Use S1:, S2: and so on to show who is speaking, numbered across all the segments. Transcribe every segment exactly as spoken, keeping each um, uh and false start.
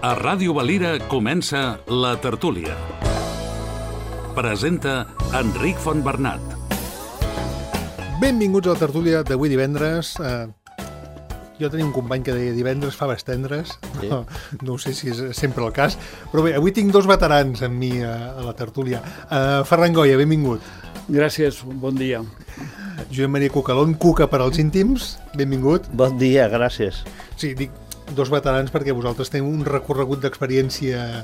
S1: A Ràdio Valira comença La Tertúlia. Presenta Enric Fontbernat.
S2: Benvinguts a La Tertúlia d'avui divendres. Uh, jo tenia un company que deia divendres faves tendres. Sí. No, no sé si és sempre el cas. Però bé, avui tinc dos veterans amb mi a, a La Tertúlia. Uh, Ferran Goya, benvingut.
S3: Gràcies, bon dia.
S2: Josep Maria Cucalón, Cuca per als íntims, benvingut.
S4: Bon dia, gràcies.
S2: Sí, dic dos veterans perquè vosaltres teniu un recorregut d'experiència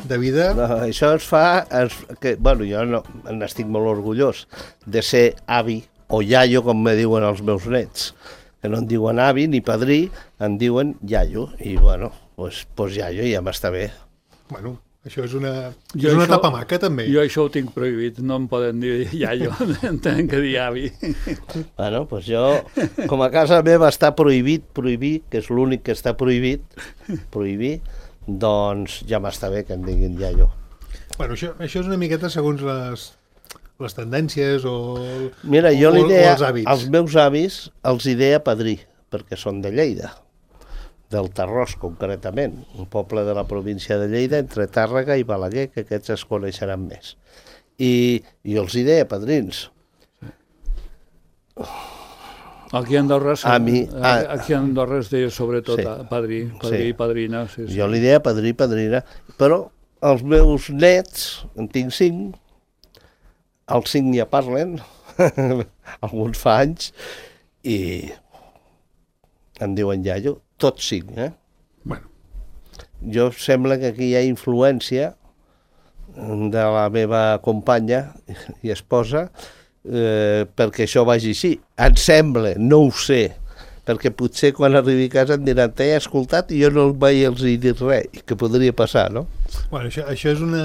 S2: de vida.
S4: No, això ens fa... Ens, que, bueno, jo no, n'estic molt orgullós de ser avi o iaio, com me diuen els meus nets. Que no em diuen avi ni padrí, em diuen iaio. I, bueno, doncs pues, pues iaio ja m'està bé.
S2: Bueno, això és una,
S3: jo
S2: és una
S3: això,
S2: etapa maca, també.
S3: Jo això ho tinc prohibit, no em poden dir iaio, em tenen que dir avi.
S4: Bueno, doncs pues jo, com a casa meva està prohibit, prohibir, que és l'únic que està prohibit, prohibir, doncs ja m'està bé que em diguin iaio.
S2: Bueno, això, això és una miqueta segons les, les tendències o,
S4: Mira, jo
S2: o,
S4: li deia,
S2: o els hàbits.
S4: als meus avis els hi deia padrí, perquè són de Lleida, del Tarròs concretament, un poble de la província de Lleida, entre Tàrrega i Balaguer, que aquests es coneixeran més. I, i els hi deia padrins.
S3: Aquí a Andorra,
S4: A mi, a,
S3: aquí a Andorra es deia sobretot
S4: sí,
S3: padrí, padrí
S4: sí.
S3: i padrina. Sí, sí.
S4: Jo li deia padrí i padrina, però els meus nets, en tinc cinc, els cinc ja parlen, alguns fa anys, i em diuen iaio, tots cinc, eh?
S2: Bueno.
S4: Jo sembla que aquí hi ha influència de la meva companya i esposa eh, perquè això vagi així. Em sembla, no ho sé, perquè potser quan arribi a casa em diran t'he escoltat i jo no el vaig els dir res, i que podria passar, no?
S2: Bueno, això, això és una,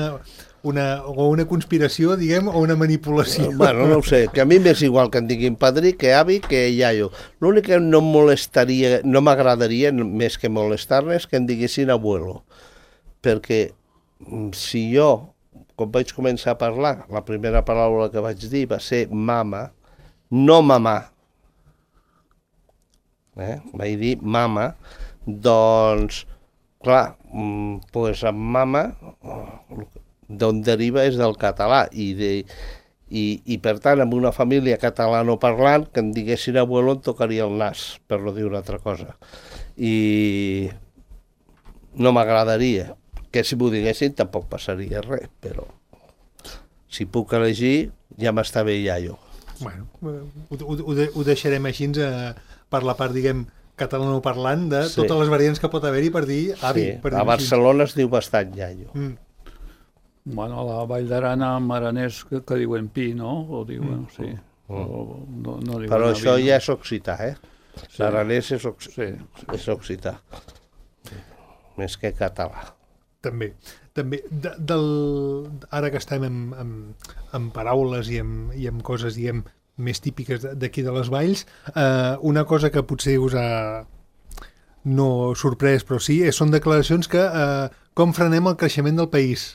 S2: una, o una conspiració, diguem, o una manipulació.
S4: Bueno, no ho sé, que a mi m'és igual que em diguin padrí, que avi, que iaio. L'únic que no em molestaria, no m'agradaria, més que molestar-ne, és que em diguessin abuelo. Perquè si jo, quan vaig començar a parlar, la primera paraula que vaig dir va ser mama, no mamà. Eh? Vaig dir mama, doncs, clar, doncs amb mama, d'on deriva és del català, i, de, i, i per tant, amb una família catalanoparlant, que em diguessin abuelo em tocaria el nas, per no dir una altra cosa. I no m'agradaria, que si m'ho diguessin tampoc passaria res, però si puc elegir ja m'està bé iaio.
S2: Bueno, ho, ho, ho deixarem així a, per la part, diguem, catalanoparlant de sí. Totes les variants que pot haver-hi per dir avi.
S4: Sí.
S2: Per
S4: dir a Barcelona així. Es diu bastant iaio.
S2: Mm.
S3: Bueno, a la Vall d'Aran, amb aranès, que, que diuen pi, no? O diuen, mm. sí.
S4: Mm.
S3: O, no, no diuen
S4: però
S3: avi,
S4: això
S3: no?
S4: ja és occità, eh? Sí. L'aranès és, oc...
S3: sí, sí.
S4: és occità. Més que català.
S2: També. També de, del, ara que estem amb, amb, amb paraules i amb, i amb coses, diguem, més típiques d'aquí de les valls, eh, una cosa que potser us ha no sorprès, però sí, són declaracions que eh, com frenem el creixement del país.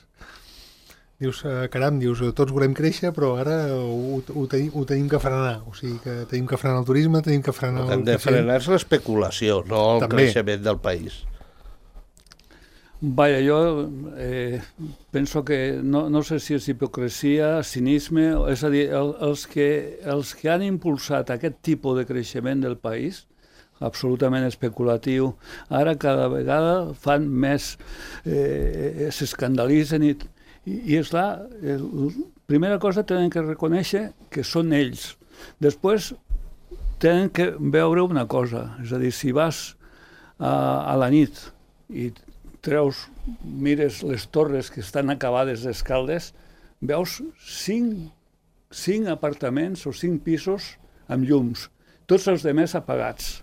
S2: Dius, eh, caram, dius, tots volem créixer, però ara ho, ho, tenim, ho tenim que frenar. O sigui, que tenim que frenar el turisme, tenim que frenar...
S4: El que hem de frenar és l'especulació, no el També. creixement del país.
S3: Vaja, jo eh, penso que no, no sé si és hipocresia, cinisme, és a dir, el, els, que, els que han impulsat aquest tipus de creixement del país, absolutament especulatiu, ara cada vegada fan més, eh, s'escandalitzen i, i, i és clar, eh, primera cosa tenen que reconèixer que són ells. Després tenen que veure una cosa, és a dir, si vas a, a la nit i treus, mires les torres que estan acabades d'escaldes, veus cinc, cinc apartaments o cinc pisos amb llums, tots els demés apagats.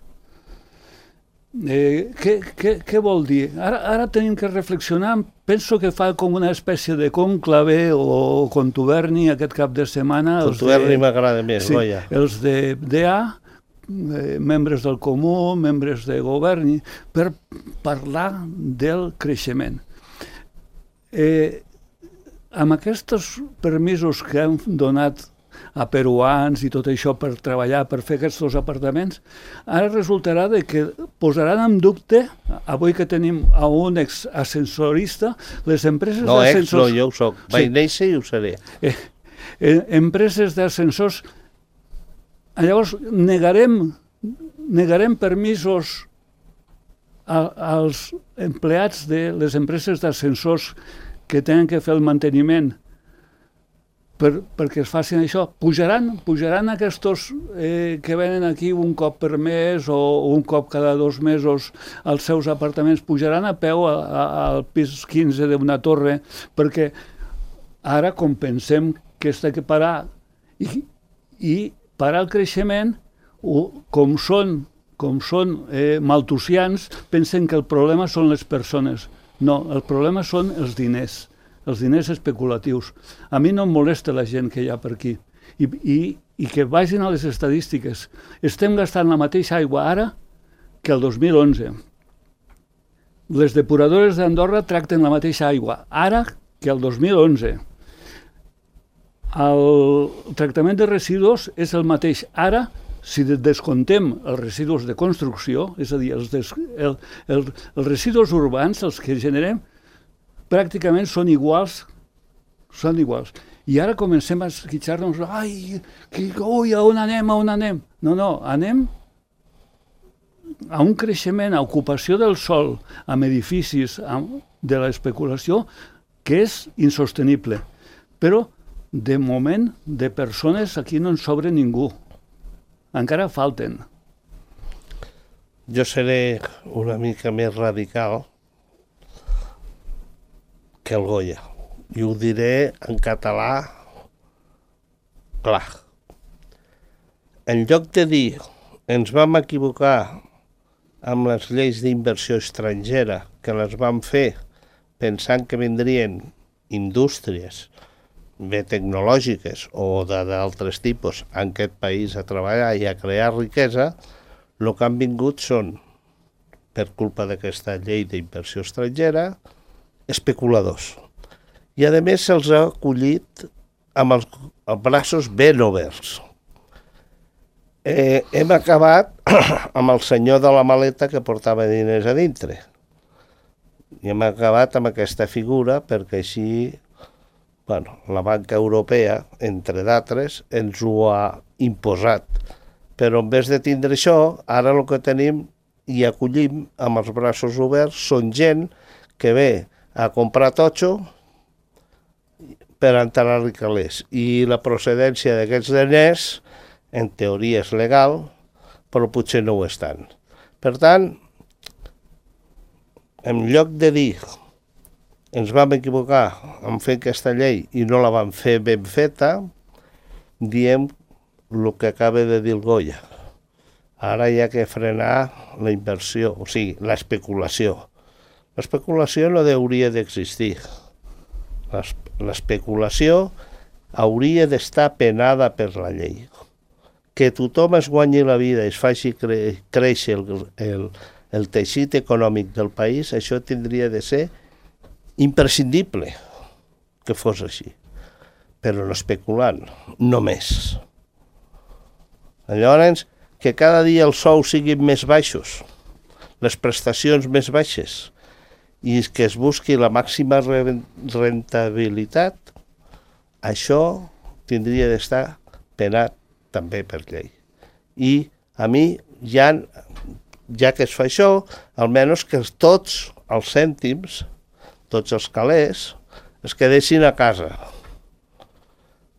S3: Eh, què, què, què vol dir? Ara, ara tenim que reflexionar, penso que fa com una espècie de conclave o contuberni aquest cap de setmana.
S4: Contuberni m'agrada més,
S3: sí,
S4: Goya.
S3: Els de D A, Eh, membres del Comú, membres de govern, per parlar del creixement. Eh, amb aquests permisos que han donat a peruans i tot això per treballar, per fer aquests apartaments, ara resultarà de que posaran en dubte, avui que tenim a un ex-ascensorista, les empreses
S4: no,
S3: d'ascensors...
S4: No, ex no, jo ho soc. Vaig sí. néixer i ho seré.
S3: Eh, eh, empreses d'ascensors... Llavors, negarem, negarem permisos a, als empleats de les empreses d'ascensors que tenen que fer el manteniment per, perquè es facin això. Pujaran, pujaran aquests eh, que venen aquí un cop per mes o un cop cada dos mesos als seus apartaments, pujaran a peu a, a, al pis quinze d'una torre, perquè ara, com pensem que s'ha de parar i, i parar el creixement, o, com són, com són eh, maltusians, pensen que el problema són les persones. No, el problema són els diners, els diners especulatius. A mi no em molesta la gent que hi ha per aquí. I, i, i que vagin a les estadístiques. Estem gastant la mateixa aigua ara que el dos mil onze. Les depuradores d'Andorra tracten la mateixa aigua ara que el dos mil onze. El tractament de residus és el mateix ara, si descontem els residus de construcció, és a dir, els, des, el, el, els residus urbans, els que generem, pràcticament són iguals, són iguals. I ara comencem a esquitxar-nos, ai, que, ui, a on anem, a on anem? No, no, anem a un creixement, a ocupació del sòl, amb edificis, amb, de l'especulació, que és insostenible. Però, de moment, de persones, aquí no en sobra ningú. Encara falten.
S4: Jo seré una mica més radical que el Goya. I ho diré en català clar. En lloc de dir ens vam equivocar amb les lleis d'inversió estrangera, que les vam fer pensant que vindrien indústries bé tecnològiques o d'altres tipus en aquest país a treballar i a crear riquesa, el que han vingut són, per culpa d'aquesta llei d'inversió estrangera, especuladors. I a més se'ls ha acollit amb els, els braços ben oberts. Eh, hem acabat amb el senyor de la maleta que portava diners a dintre. I hem acabat amb aquesta figura perquè així bueno, la banca europea, entre d'altres, ens ho ha imposat. Però en vez de tindre això, ara el que tenim i acollim amb els braços oberts són gent que ve a comprar totxo per entrar a calés. I la procedència d'aquests diners, en teoria és legal, però potser no ho estan. Per tant, en lloc de dir ens vam equivocar en fer aquesta llei i no la vam fer ben feta, diem el que acaba de dir el Goya. Ara hi ha que frenar la inversió, o sigui, l'especulació. L'especulació no hauria d'existir. L'especulació hauria d'estar penada per la llei. Que tothom es guanyi la vida i es faci cre créixer el, el, el teixit econòmic del país, això tindria de ser imprescindible que fos així, però no especulant, només. Llavors, que cada dia els sous siguin més baixos, les prestacions més baixes, i que es busqui la màxima rentabilitat, això tindria d'estar penat també per llei. I a mi, ja, ja que es fa això, almenys que tots els cèntims, tots els calés, es quedessin a casa.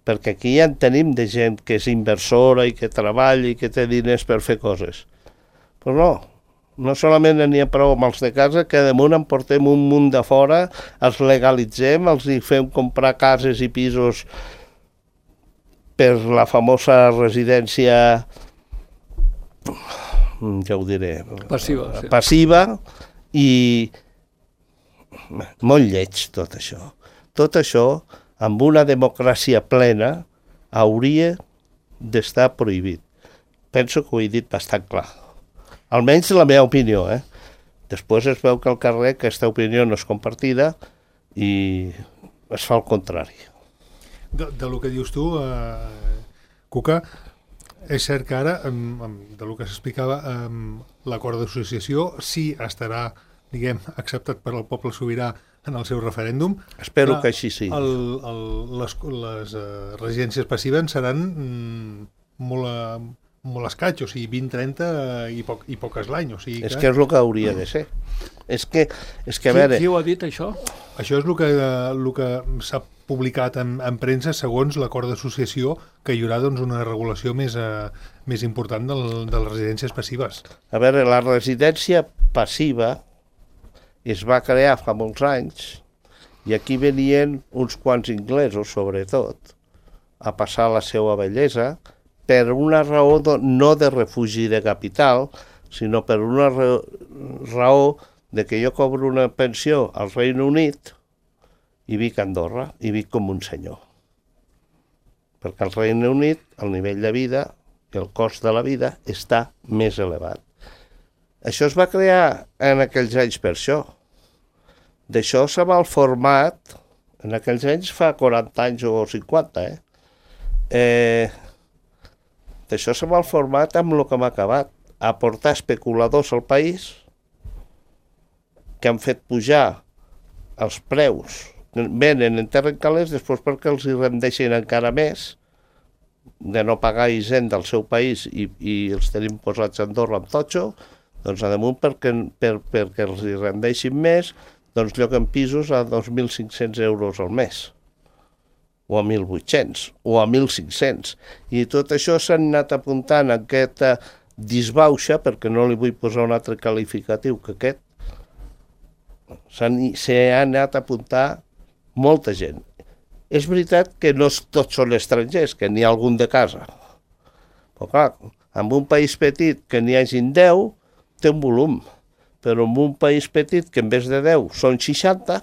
S4: Perquè aquí ja en tenim de gent que és inversora i que treballa i que té diners per fer coses. Però no, no solament n'hi ha prou amb els de casa, que damunt en portem un munt de fora, els legalitzem, els hi fem comprar cases i pisos per la famosa residència, ja ho diré,
S3: passiva, sí.
S4: passiva i molt lleig tot això. Tot això, amb una democràcia plena, hauria d'estar prohibit. Penso que ho he dit bastant clar. Almenys la meva opinió, eh? Després es veu que al carrer aquesta opinió no és compartida i es fa el contrari.
S2: De, de lo que dius tu, eh, Cuca, és cert que ara, del que s'explicava, l'acord d'associació sí estarà, diguem, acceptat per al poble sobirà en el seu referèndum.
S4: Espero que així sigui.
S2: El, el, les les uh, residències passives seran mm, molt, uh, molt escaig, o sigui, vint, trenta i, poc, i poques l'any. O sigui que...
S4: És que és el que hauria de ser. És que, és que a
S3: qui,
S4: veure...
S3: Qui ho ha dit, això?
S2: Això és el que, el que s'ha publicat en, en premsa segons l'acord d'associació, que hi haurà doncs, una regulació més, uh, més important del, de les residències passives.
S4: A veure, la residència passiva es va crear fa molts anys i aquí venien uns quants inglesos, sobretot, a passar la seva bellesa per una raó de, no de refugi de capital, sinó per una raó, raó de que jo cobro una pensió al Regne Unit i vic a Andorra, i vic com un senyor. Perquè al Regne Unit el nivell de vida, el cost de la vida, està més elevat. Això es va crear en aquells anys per això. D'això se va el format, en aquells anys fa quaranta anys o cinquanta, eh? eh D'això se va el format amb el que m'ha acabat, aportar especuladors al país que han fet pujar els preus, venen en terra calés, després perquè els hi rendeixen encara més, de no pagar hisenda del seu país i, i els tenim posats a Andorra amb totxo, doncs a damunt perquè, per, perquè els hi rendeixin més, doncs lloguen pisos a dos mil cinc-cents euros al mes, o a mil vuit-cents, o a mil cinc-cents. I tot això s'han anat apuntant a aquesta disbauxa, perquè no li vull posar un altre qualificatiu que aquest, s'han anat a apuntar molta gent. És veritat que no tots són estrangers, que n'hi ha algun de casa. Però clar, en un país petit que n'hi hagin deu, té un volum. Però en un país petit que en vez de deu són seixanta,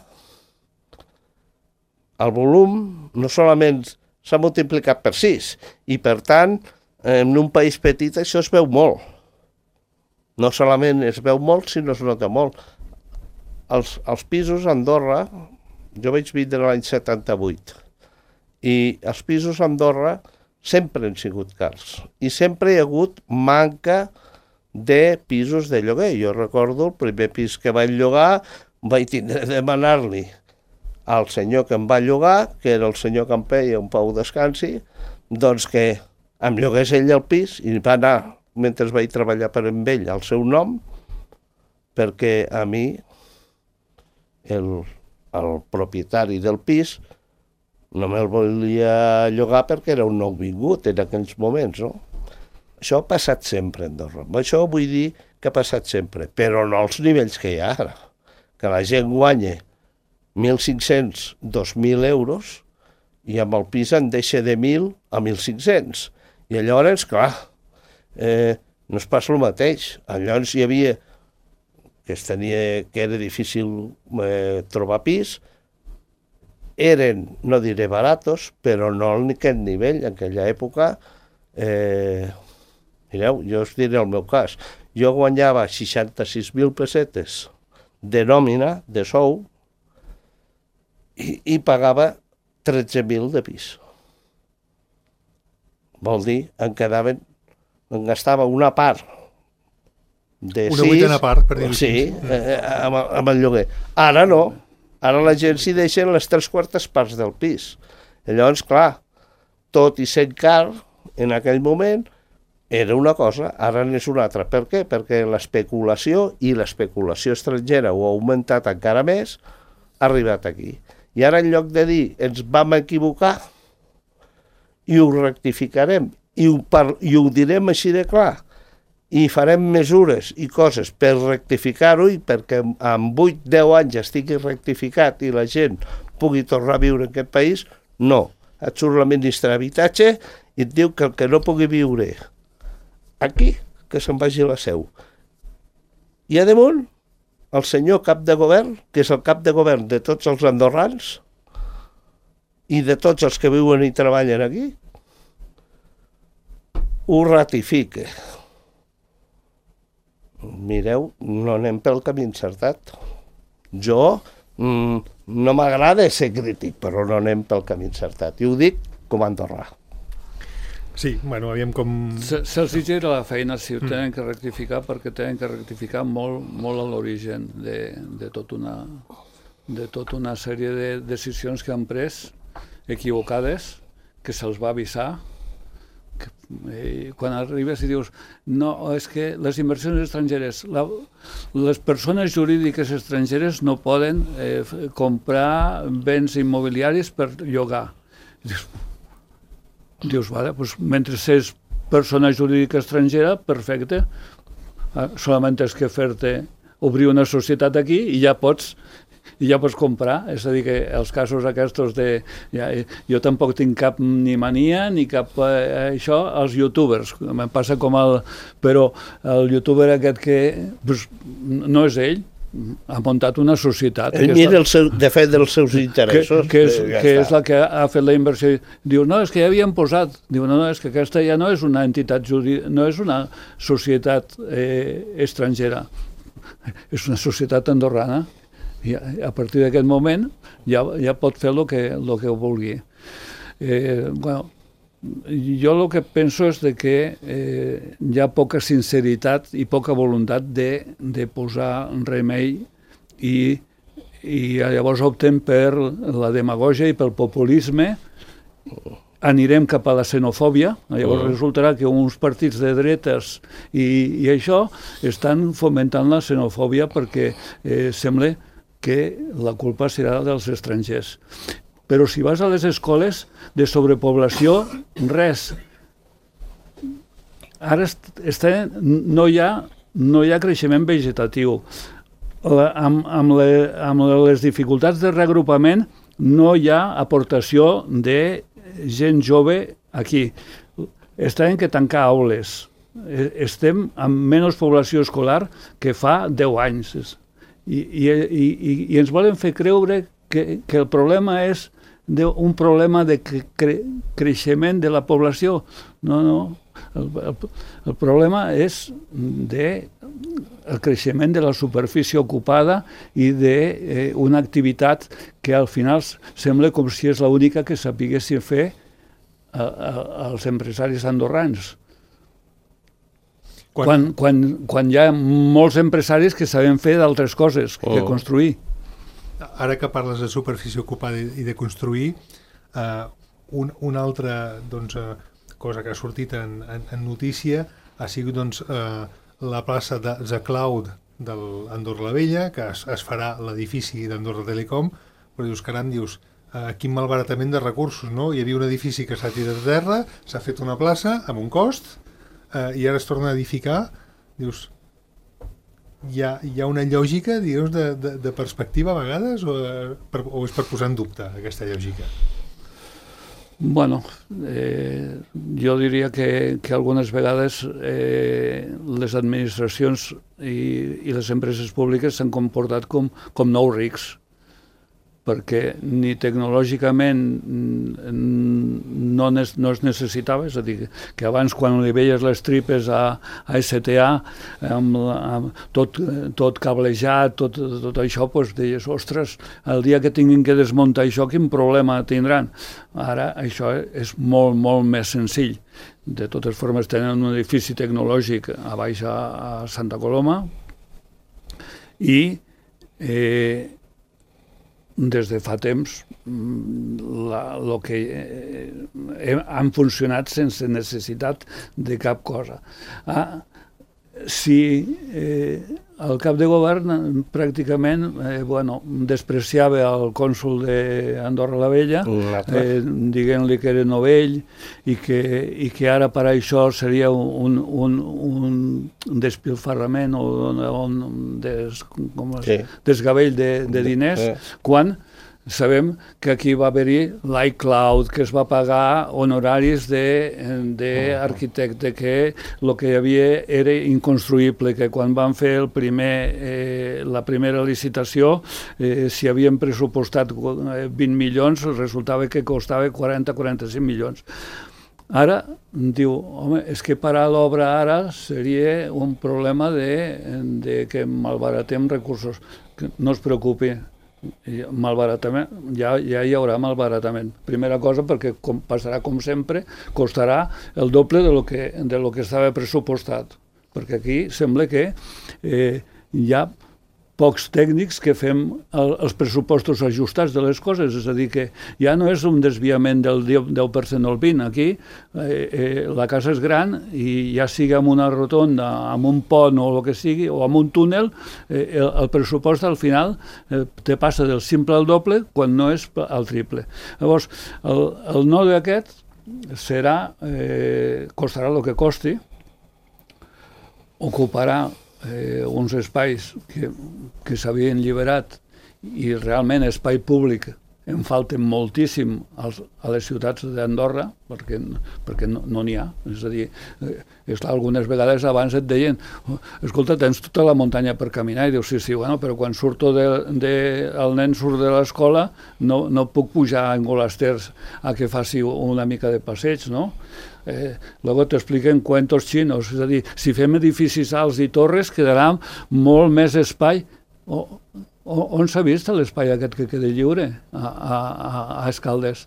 S4: el volum no solament s'ha multiplicat per sis, i per tant, en un país petit això es veu molt. No solament es veu molt, sinó es nota molt. Els, els pisos a Andorra, jo vaig vindre l'any setanta-vuit, i els pisos a Andorra sempre han sigut cars, i sempre hi ha hagut manca de pisos de lloguer. Jo recordo el primer pis que vaig llogar, vaig tindre de demanar-li al senyor que em va llogar, que era el senyor Campell, un Pau Descansi, doncs que em llogués ell el pis, i va anar, mentre vaig treballar per amb ell, al seu nom, perquè a mi, el, el propietari del pis, no me'l volia llogar perquè era un nou vingut en aquells moments, no? Això ha passat sempre a Andorra. Això vull dir que ha passat sempre, però no als nivells que hi ha ara. Que la gent guanya mil cinc-cents, dos mil euros i amb el pis en deixa de mil a mil cinc-cents. I llavors, clar, eh, no es passa el mateix. Llavors hi havia que, es tenia, que era difícil eh, trobar pis, eren, no diré baratos, però no en aquest nivell. En aquella època... Eh, Mireu, jo us diré el meu cas. Jo guanyava seixanta-sis mil pessetes de nòmina, de sou, i, i pagava tretze mil de pis. Vol dir, em quedaven, em gastava una part de
S2: una
S4: sis... Una
S2: vuitena part, per dir-ho
S4: sí, eh, amb, amb el lloguer. Ara no. Ara la gent s'hi deixen les tres quartes parts del pis. I llavors, clar, tot i sent car, en aquell moment, era una cosa, ara n'és una altra. Per què? Perquè l'especulació, i l'especulació estrangera ho ha augmentat encara més, ha arribat aquí. I ara en lloc de dir ens vam equivocar i ho rectificarem i ho, par i ho direm així de clar i farem mesures i coses per rectificar-ho i perquè en vuit a deu anys estigui rectificat i la gent pugui tornar a viure en aquest país, no. Et surt la ministra d'Habitatge i et diu que el que no pugui viure aquí, que se'n vagi a la seu. I a damunt, el senyor cap de govern, que és el cap de govern de tots els andorrans i de tots els que viuen i treballen aquí, ho ratifica. Mireu, no anem pel camí encertat. Jo mm, no m'agrada ser crític, però no anem pel camí encertat. I ho dic com a andorrà.
S2: Sí, bueno, aviam com...
S3: Se, se'ls gira la feina si ho tenen que rectificar, perquè tenen que rectificar molt, molt a l'origen de, de, tot una, de tota una sèrie de decisions que han pres equivocades, que se'ls va avisar. Que, eh, quan arribes i dius no, és que les inversions estrangeres, la, les persones jurídiques estrangeres no poden eh, comprar béns immobiliaris per llogar. Dius, Dius, vale, pues, mentre és persona jurídica estrangera, perfecte, ah, solament és que fer-te obrir una societat aquí i ja pots i ja pots comprar, és a dir, que els casos aquests de... Ja, jo tampoc tinc cap ni mania ni cap eh, això, els youtubers, em passa com el... Però el youtuber aquest que pues, no és ell, ha muntat una societat.
S4: Ell mira el seu, de fet dels seus interessos.
S3: Que, que, és,
S4: ja
S3: que
S4: està.
S3: és la que ha fet la inversió. Diu, no, és que ja havien posat. Diu, no, no, és que aquesta ja no és una entitat jurídica, no és una societat eh, estrangera. És una societat andorrana. I a, a partir d'aquest moment ja, ja pot fer el que, lo que vulgui. Eh, bueno, jo el que penso és de que eh, hi ha poca sinceritat i poca voluntat de, de posar remei i, i llavors opten per la demagògia i pel populisme. Anirem cap a la xenofòbia, llavors uh. resultarà que uns partits de dretes i, i això estan fomentant la xenofòbia perquè eh, sembla que la culpa serà dels estrangers. Però si vas a les escoles de sobrepoblació, res. Ara està, no, hi ha, no hi ha creixement vegetatiu. La, amb, amb, le, amb les dificultats de reagrupament no hi ha aportació de gent jove aquí. Estem que tancar aules. Estem amb menys població escolar que fa deu anys. I, i, i, i ens volen fer creure que, que el problema és de, un problema de cre, creixement de la població. No, no. El, el, el problema és de el creixement de la superfície ocupada i d'una eh, activitat que al final sembla com si és l'única que sapiguessin fer a, a, als empresaris andorrans. Quan, quan, quan, quan hi ha molts empresaris que saben fer d'altres coses que oh. construir.
S2: Ara que parles de superfície ocupada i de construir, eh, un, una altra doncs, eh, cosa que ha sortit en, en, en notícia ha sigut doncs, eh, la plaça de The Cloud d'Andorra la Vella, que es, es farà l'edifici d'Andorra Telecom, però dius, caram, dius, eh, quin malbaratament de recursos, no? Hi havia un edifici que s'ha tirat a terra, s'ha fet una plaça amb un cost, Uh, i ara es torna a edificar, dius, hi ha, hi ha una lògica, dius, de, de, de perspectiva a vegades, o, per, o és per posar en dubte aquesta lògica?
S3: Bueno, eh, jo diria que, que algunes vegades eh, les administracions i, i les empreses públiques s'han comportat com, com nous rics, perquè ni tecnològicament no, es, no es necessitava, és a dir, que abans quan li veies les tripes a, a S T A, amb, amb tot, tot cablejat, tot, tot això, doncs deies, ostres, el dia que tinguin que desmuntar això, quin problema tindran? Ara això és molt, molt més senzill. De totes formes, tenen un edifici tecnològic a baix a, a Santa Coloma i eh, des de fa temps la, lo que eh, han funcionat sense necessitat de cap cosa. Ah, si eh, el cap de govern pràcticament eh, bueno, despreciava el cònsol d'Andorra la Vella, eh, dient-li que era novell i que, i que ara per això seria un, un, un despilfarrament o un des, com es, sí. desgavell de, de diners, sí. quan sabem que aquí va haver-hi l'iCloud, que es va pagar honoraris d'arquitecte, que el que hi havia era inconstruïble, que quan van fer el primer, eh, la primera licitació, eh, si havien pressupostat vint milions, resultava que costava quaranta a quaranta-cinc milions. Ara, diu, home, és que parar l'obra ara seria un problema de, de que malbaratem recursos. No es preocupi, malbaratament, ja, ja hi haurà malbaratament. Primera cosa, perquè com passarà com sempre, costarà el doble de lo que, de lo que estava pressupostat, perquè aquí sembla que eh, hi ha pocs tècnics que fem el, els pressupostos ajustats de les coses, és a dir, que ja no és un desviament del deu per cent o el vint per cent. Aquí eh, eh, la casa és gran i ja sigui amb una rotonda, amb un pont o el que sigui, o amb un túnel, eh, el, el pressupost al final eh, te passa del simple al doble quan no és al triple. Llavors, el, el node aquest serà, eh, costarà el que costi, ocuparà Eh, uns espais que, que s'havien alliberat i realment espai públic en falten moltíssim als, a les ciutats d'Andorra perquè, perquè no n'hi ha. És a dir, eh, és clar, algunes vegades abans et deien oh, escolta, tens tota la muntanya per caminar, i dius, sí, sí, bueno, però quan surto de, de, el nen surt de l'escola no, no puc pujar a Engolasters a que faci una mica de passeig, no? Eh, luego t'expliquen cuentos chinos, és a dir, si fem edificis alts i torres quedarà molt més espai. O, o, on s'ha vist l'espai aquest que queda lliure a, a, a Escaldes?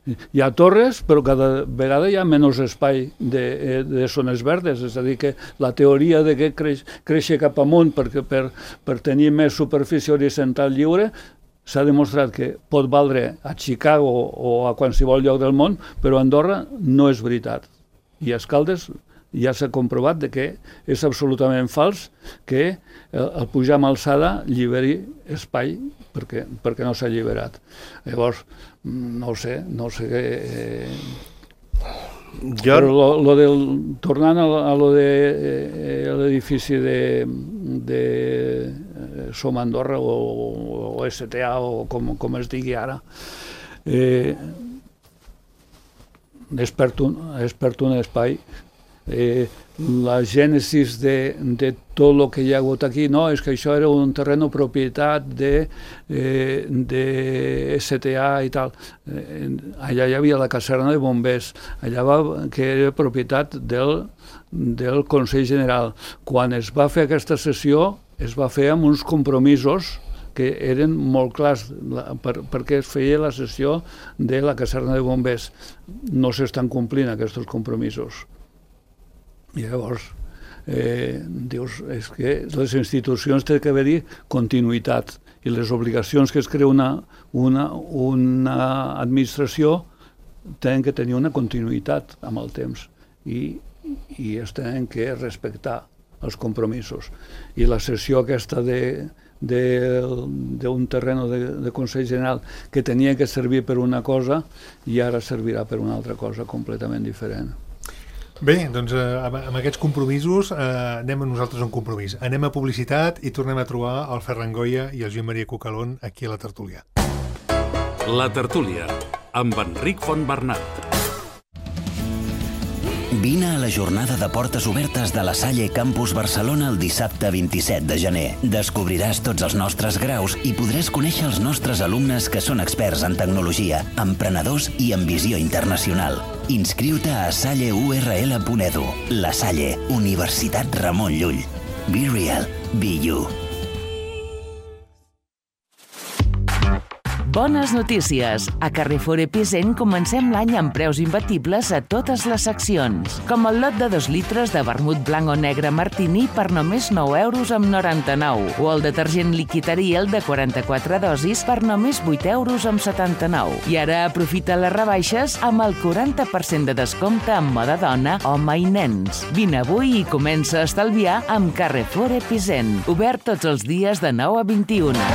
S3: Hi ha torres, però cada vegada hi ha menys espai de, de zones verdes, és a dir, que la teoria de que creix, créixer cap amunt perquè per, per tenir més superfície horitzontal lliure s'ha demostrat que pot valdre a Chicago o a qualsevol lloc del món, però a Andorra no és veritat. I a Escaldes ja s'ha comprovat de que és absolutament fals que el, el pujar amb alçada lliberi espai perquè, perquè no s'ha alliberat. Llavors, no ho sé, no sé què... Eh... Jo... Però lo, lo del, tornant a, a lo de eh, l'edifici de, de Som Andorra o, o S T A o com, com es digui ara, eh, és per un, és per un espai. Eh, la gènesis de, de tot el que hi ha hagut aquí, no, és que això era un terreno propietat de, eh, de S T A i tal. Eh, allà hi havia la caserna de bombers, allà va, que era propietat del, del Consell General. Quan es va fer aquesta sessió, es va fer amb uns compromisos que eren molt clars per, perquè es feia la sessió de la caserna de bombers. No s'estan complint aquests compromisos. I llavors, eh, dius, és que les institucions tenen que haver-hi continuïtat i les obligacions que es crea una, una, una administració tenen que tenir una continuïtat amb el temps i, i es tenen que respectar els compromisos. I la sessió aquesta de d'un terreno de, de Consell General que tenia que servir per una cosa i ara servirà per una altra cosa completament diferent.
S2: Bé, doncs eh, amb aquests compromisos eh, anem a nosaltres a un compromís. Anem a publicitat i tornem a trobar el Ferran Goya i el Joan Maria Cucalón aquí a la tertúlia.
S1: La tertúlia, amb Enric Fontbernat.
S5: Vine a la jornada de portes obertes de la Salle Campus Barcelona el dissabte vint-i-set de gener. Descobriràs tots els nostres graus i podràs conèixer els nostres alumnes que són experts en tecnologia, emprenedors i en visió internacional. Inscriu-te a salle u erre ele punt edu. La Salle, Universitat Ramon Llull. Be real, be you.
S6: Bones notícies! A Carrefour Epicent comencem l'any amb preus imbatibles a totes les seccions, com el lot de dos litres de vermut blanc o negre Martini per només nou euros amb noranta-nou, o el detergent líquid Ariel de quaranta-quatre dosis per només vuit euros amb setanta-nou. I ara aprofita les rebaixes amb el quaranta per cent de descompte en moda dona, home i nens. Vine avui i comença a estalviar amb Carrefour Epicent, obert tots els dies de nou a vint-i-una.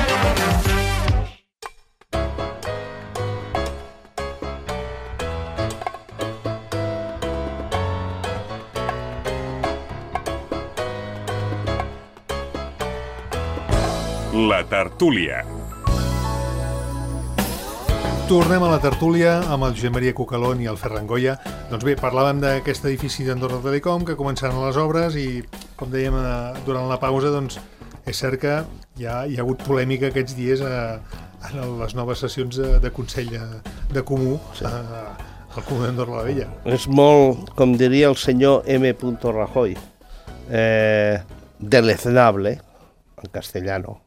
S7: La tertúlia.
S2: Tornem a la tertúlia amb el Josep Maria Cucalón i el Ferran Goya. Doncs bé, parlàvem d'aquest edifici d'Andorra Telecom que començaran les obres i, com dèiem durant la pausa, doncs és cert que hi ha, hi ha hagut polèmica aquests dies a, a les noves sessions de, de Consell de, de Comú sí. a, al Comú d'Andorra la Vella.
S4: És molt, com diria el senyor M. Rajoy, eh, deleznable, en castellano.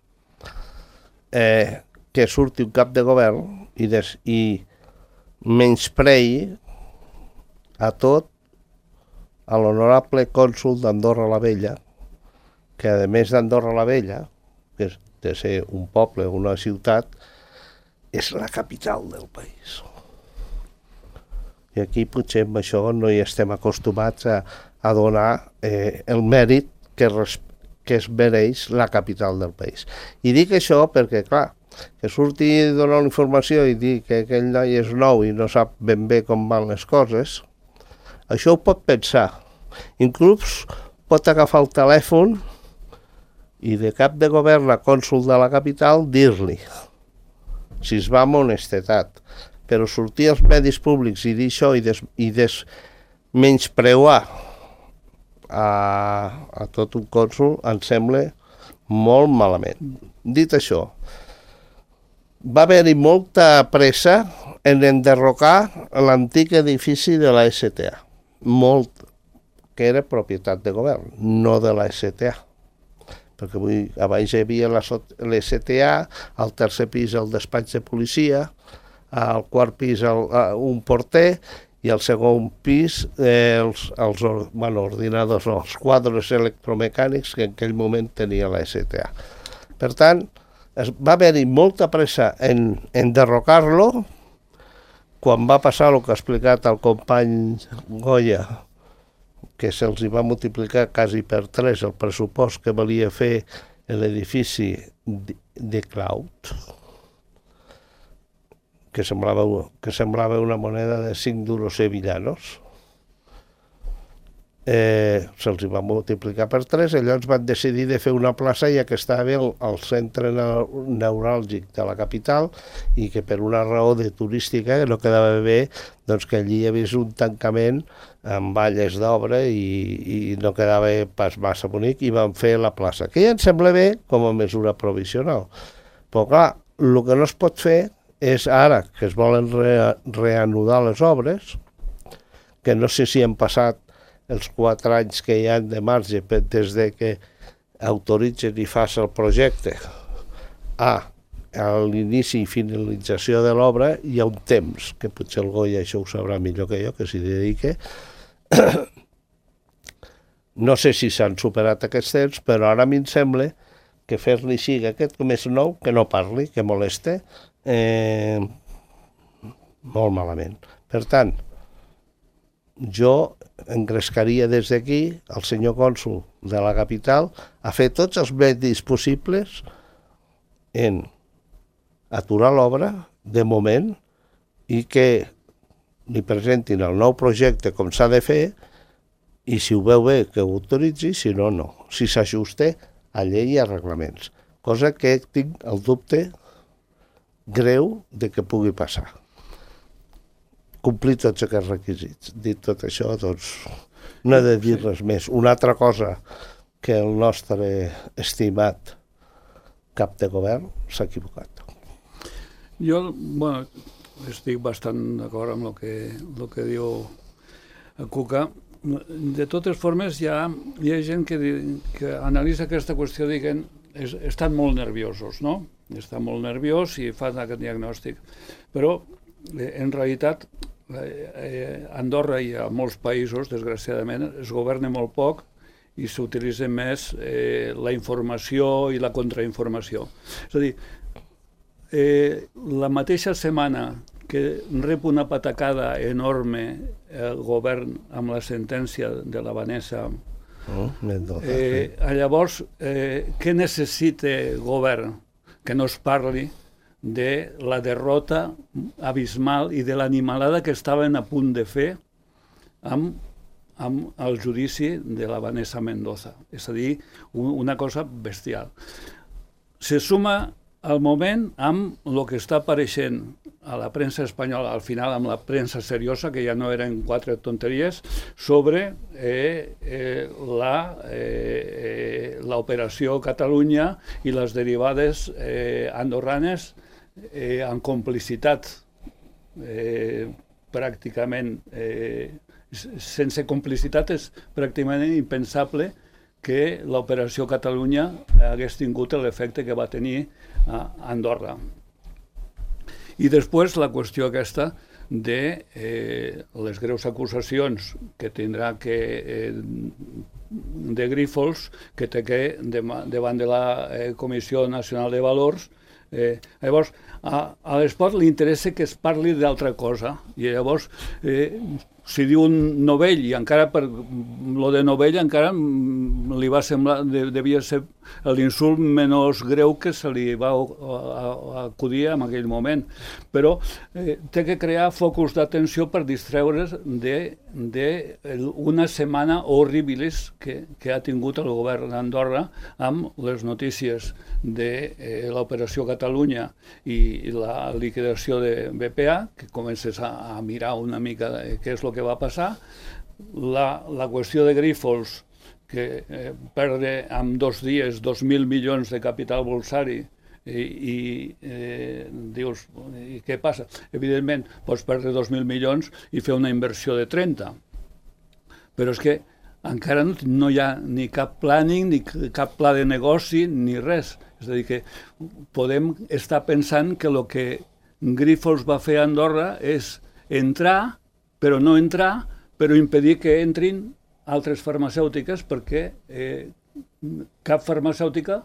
S4: Eh, que surti un cap de govern i, des, i menysprei a tot a l'honorable cònsol d'Andorra la Vella, que a més d'Andorra la Vella, que és de ser un poble o una ciutat, és la capital del país. I aquí potser amb això no hi estem acostumats a, a donar eh, el mèrit que, res, que es mereix la capital del país. I dic això perquè, clar, que surti a donar una informació i dir que aquell noi és nou i no sap ben bé com van les coses, això ho pot pensar. Inclús pot agafar el telèfon i de cap de govern a cònsol de la capital dir-li, si es va amb honestedat. Però sortir als medis públics i dir això i, des, i des, menyspreuar a, a tot un cònsol em sembla molt malament. Dit això, va haver-hi molta pressa en enderrocar l'antic edifici de la S T A, molt, que era propietat de govern, no de la S T A. Perquè avui, abans hi havia l'S T A, al tercer pis el despatx de policia, al quart pis el, un porter i al segon pis eh, els, els bueno, ordinadors, no, els quadres electromecànics que en aquell moment tenia la S T A. Per tant, es, va haver-hi molta pressa en, en derrocar-lo quan va passar el que ha explicat el company Goya, que se'ls va multiplicar quasi per tres el pressupost que valia fer l'edifici de, de Cloud, que semblava, que semblava una moneda de cinc duros sevillanos. Eh, se'ls va multiplicar per tres, llavors van decidir de fer una plaça ja que estava al, al centre neuràlgic de la capital i que per una raó de turística no quedava bé doncs, que allí hi hagués un tancament amb valles d'obra i, i no quedava pas massa bonic i van fer la plaça, que ja em sembla bé com a mesura provisional. Però clar, el que no es pot fer és ara que es volen re reanudar les obres, que no sé si han passat els quatre anys que hi ha de marge des de que autoritzen i fas el projecte a, a l'inici i finalització de l'obra hi ha un temps, que potser el Goya això ho sabrà millor que jo, que s'hi dedique. No sé si s'han superat aquests temps, però ara a mi em sembla que fer-li així, aquest com és nou, que no parli, que moleste, eh, molt malament. Per tant, jo engrescaria des d'aquí el senyor cònsol de la capital a fer tots els medis possibles en aturar l'obra de moment i que li presentin el nou projecte com s'ha de fer i si ho veu bé que ho autoritzi, si no, no. Si s'ajusta a llei i a reglaments. Cosa que tinc el dubte greu de que pugui passar. Complir tots aquests requisits. Dit tot això, doncs, no he de dir res més. Una altra cosa que el nostre estimat cap de govern s'ha equivocat.
S3: Jo, bueno, estic bastant d'acord amb el que, el que diu el Cuca. De totes formes, hi ha, hi ha gent que, que analitza aquesta qüestió i que es, estan molt nerviosos, no? Estan molt nerviós i fan aquest diagnòstic. Però, en realitat, eh, Andorra i a molts països, desgraciadament, es governa molt poc i s'utilitza més eh, la informació i la contrainformació. És a dir, eh, la mateixa setmana que rep una patacada enorme el govern amb la sentència de la Vanessa, oh, eh, llavors, eh, què necessita el govern? Que no es parli de la derrota abismal i de l'animalada que estaven a punt de fer amb, amb el judici de la Vanessa Mendoza. És a dir, una cosa bestial. Se suma al moment amb el que està apareixent a la premsa espanyola, al final amb la premsa seriosa, que ja no eren quatre tonteries, sobre eh, eh, la eh, l'operació Catalunya i les derivades eh, andorranes eh, en complicitat eh, pràcticament eh, sense complicitat és pràcticament impensable que l'operació Catalunya hagués tingut l'efecte que va tenir a Andorra. I després la qüestió aquesta de eh, les greus acusacions que tindrà que eh, de Grífols, que té que davant de la eh, Comissió Nacional de Valors. Eh, llavors, a, a l'esport li interessa que es parli d'altra cosa, i llavors eh, si diu un novell, i encara per lo de novell encara li va semblar, de, devia ser l'insult menys greu que se li va acudir en aquell moment, però eh, té que crear focus d'atenció per distreure's de, de una setmana horribilis que, que ha tingut el govern d'Andorra amb les notícies de eh, l'operació Catalunya i, i la liquidació de B P A, que comences a, a mirar una mica de què és el que va passar, la, la qüestió de Grífols, que eh, perdre en dos dies dos mil milions de capital bolsari i, i eh, dius, i què passa? Evidentment, pots perdre dos mil milions i fer una inversió de trenta, però és que encara no, no hi ha ni cap planning, ni cap pla de negoci, ni res. És a dir, que podem estar pensant que el que Grífols va fer a Andorra és entrar, però no entrar, però impedir que entrin altres farmacèutiques, perquè eh, cap farmacèutica,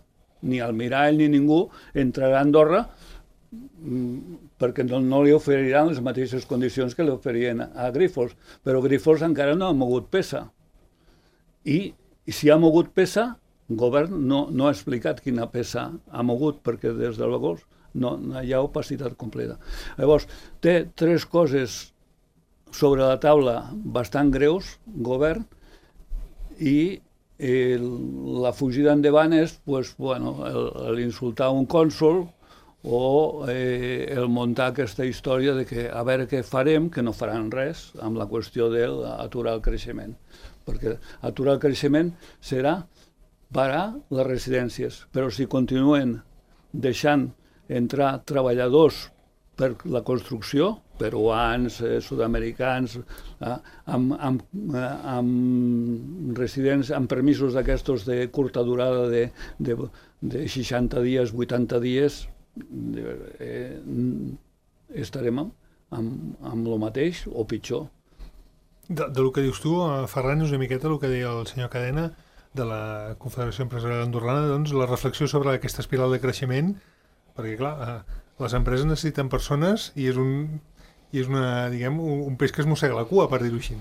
S3: ni Almirall ni ningú, entrarà a Andorra perquè no, no li oferiran les mateixes condicions que li oferien a Grífols. Però Grífols encara no ha mogut peça. I, i si ha mogut peça, el govern no, no ha explicat quina peça ha mogut, perquè des de llavors no, no hi ha opacitat completa. Llavors, té tres coses sobre la taula bastant greus, govern, i eh, la fugida endavant és pues, bueno, l'insultar un cònsol o eh, el muntar aquesta història de que a veure què farem, que no faran res amb la qüestió d'aturar el creixement. Perquè aturar el creixement serà parar les residències, però si continuen deixant entrar treballadors per la construcció, peruans, eh, sud-americans, eh, amb, amb, eh, amb residents, amb permisos d'aquestos de curta durada de, de, de seixanta dies, vuitanta dies, eh, estarem amb, amb, amb el mateix o pitjor.
S2: De, de lo que dius tu, Ferran, és una miqueta el que deia el senyor Cadena de la Confederació Empresarial Andorrana, doncs la reflexió sobre aquesta espiral de creixement, perquè clar, eh, les empreses necessiten persones i és un... i és una, diguem, un, un peix que es mossega la cua, per dir-ho així.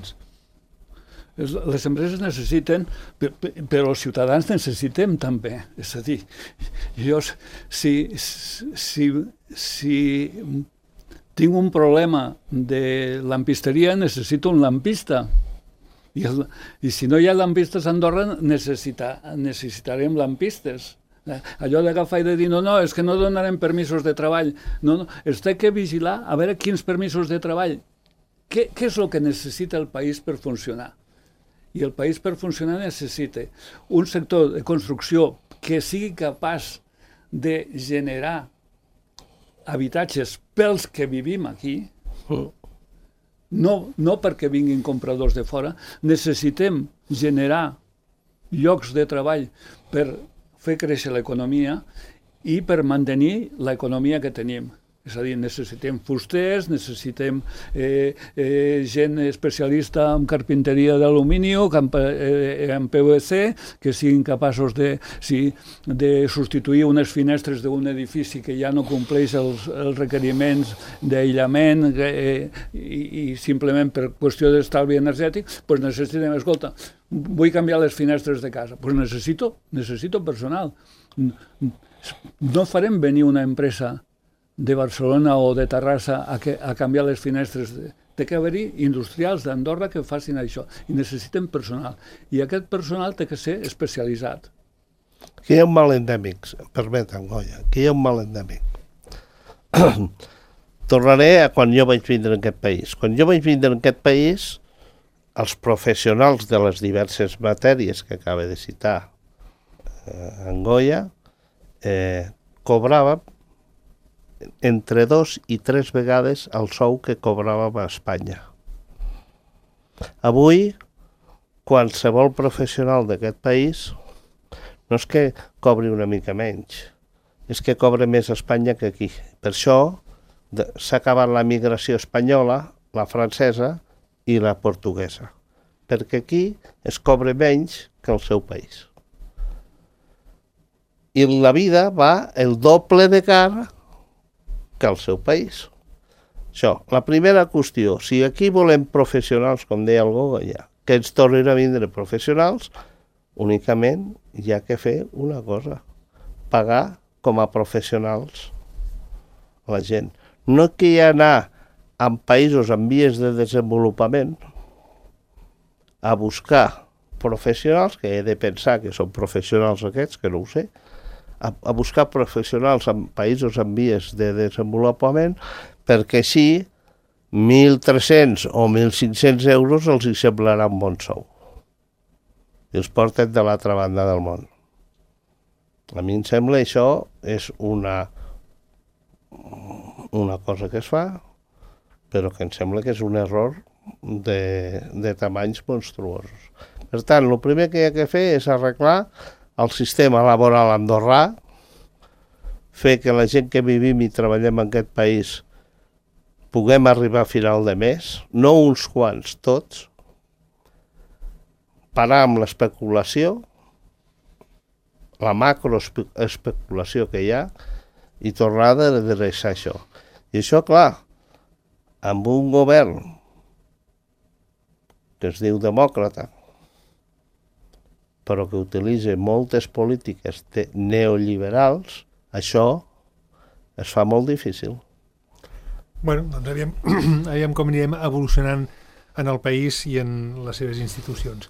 S3: Les empreses necessiten, però els ciutadans necessitem també. És a dir, jo, si, si, si tinc un problema de lampisteria, necessito un lampista. I, el, i si no hi ha lampistes a Andorra, necessita, necessitarem lampistes. Allò d'agafar i de dir, no, no, és que no donarem permisos de treball. No, no, es té que vigilar a veure quins permisos de treball. Què, què és el que necessita el país per funcionar? I el país per funcionar necessita un sector de construcció que sigui capaç de generar habitatges pels que vivim aquí, no, no perquè vinguin compradors de fora. Necessitem generar llocs de treball per fer créixer l'economia i per mantenir l'economia que tenim. És a dir, necessitem fusters, necessitem eh, eh, gent especialista en carpinteria d'alumini, en, eh, en P V C, que siguin capaços de, sí, de substituir unes finestres d'un edifici que ja no compleix els, els requeriments d'aïllament eh, i, i simplement per qüestió d'estalvi energètic, doncs necessitem, escolta, vull canviar les finestres de casa, doncs necessito, necessito personal. No farem venir una empresa de Barcelona o de Terrassa a, que, a canviar les finestres. Té que haver-hi industrials d'Andorra que facin això i necessiten personal. I aquest personal té que ser especialitzat.
S4: Aquí hi ha un mal endèmic, permetem, Goya, aquí hi ha un mal endèmic. Tornaré a quan jo vaig vindre en aquest país. Quan jo vaig vindre en aquest país, els professionals de les diverses matèries que acaba de citar eh, en Goya eh, cobraven entre dos i tres vegades el sou que cobràvem a Espanya. Avui, qualsevol professional d'aquest país no és que cobri una mica menys, és que cobra més a Espanya que aquí. Per això, s'ha acabat la migració espanyola, la francesa i la portuguesa, perquè aquí es cobra menys que al seu país. I la vida va el doble de cara que al seu país. Això, la primera qüestió, si aquí volem professionals, com deia el Goga, ja, que ens tornin a vindre professionals, únicament hi ha que fer una cosa, pagar com a professionals la gent. No que hi ha anar en països en vies de desenvolupament a buscar professionals, que he de pensar que són professionals aquests, que no ho sé, a, a buscar professionals en països en vies de desenvolupament, perquè així mil tres-cents o mil cinc-cents euros els hi semblarà un bon sou. I els porten de l'altra banda del món. A mi em sembla això és una, una cosa que es fa, però que em sembla que és un error de, de tamanys monstruosos. Per tant, el primer que hi ha que fer és arreglar el sistema laboral andorrà, fer que la gent que vivim i treballem en aquest país puguem arribar a final de mes, no uns quants, tots, parar amb l'especulació, la macroespeculació que hi ha, i tornar a redreçar això. I això, clar, amb un govern que es diu demòcrata, però que utilitza moltes polítiques neoliberals, això es fa molt difícil.
S2: Bueno, doncs aviam, aviam com anirem evolucionant en el país i en les seves institucions.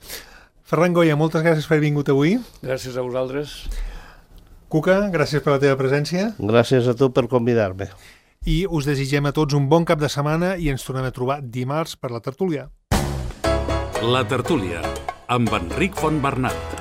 S2: Ferran Goya, moltes gràcies per haver vingut avui.
S3: Gràcies a vosaltres.
S2: Cuca, gràcies per la teva presència.
S4: Gràcies a tu per convidar-me.
S2: I us desitgem a tots un bon cap de setmana i ens tornem a trobar dimarts per la tertúlia.
S1: La tertúlia, amb Enric Fontbernat.